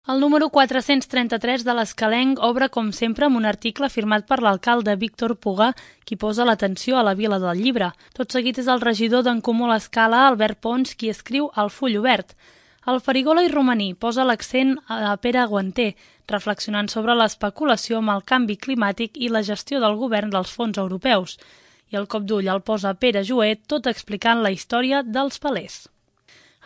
El número 433 de l'Escalenc obre, com sempre, amb un article firmat per l'alcalde Víctor Pugà, qui posa l'atenció a la Vila del Llibre. Tot seguit és el regidor d'En Comú a l'Escala, Albert Pons, qui escriu al full obert. El Farigola i Romaní posa l'accent a Pere Guanter, reflexionant sobre l'especulació amb el canvi climàtic i la gestió del govern dels fons europeus. I el cop d'ull el posa Pere Joet, tot explicant la història dels palers.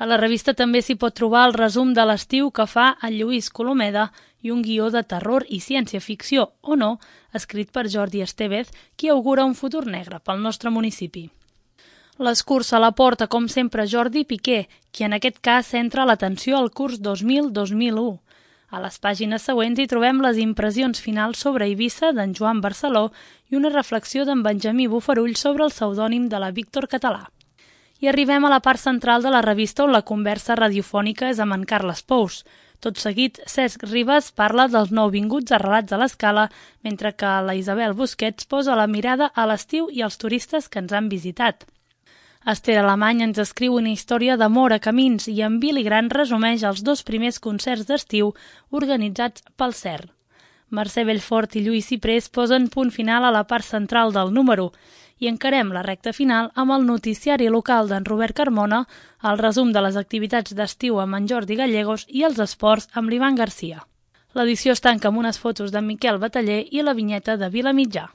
A la revista també s'hi pot trobar el resum de l'estiu que fa el Lluís Colomeda i un guió de terror i ciència-ficció, o no, escrit per Jordi Estevez, qui augura un futur negre pel nostre municipi. L'escurça la porta, com sempre, Jordi Piqué, qui en aquest cas centra l'atenció al curs 2000-2001. A les pàgines següents hi trobem les impressions finals sobre Eivissa d'en Joan Barceló i una reflexió d'en Benjamí Bofarull sobre el pseudònim de la Víctor Català. I arribem a la part central de la revista on la conversa radiofònica és amb en Carles Pous. Tot seguit, Cesc Ribas parla dels nouvinguts arrelats a l'Escala, mentre que la Isabel Busquets posa la mirada a l'estiu i als turistes que ens han visitat. Esther Alemany ens escriu una història d'amor a camins i en Billy Grant resumeix els 2 primers concerts d'estiu organitzats pel CERN. Mercè Bellfort i Lluís Ciprés posen punt final a la part central del número i encarem la recta final amb el noticiari local d'en Robert Carmona, el resum de les activitats d'estiu amb en Jordi Gallegos i els esports amb l'Ivan Garcia. L'edició es tanca amb unes fotos de Miquel Bataller i la vinyeta de Vilamitjà.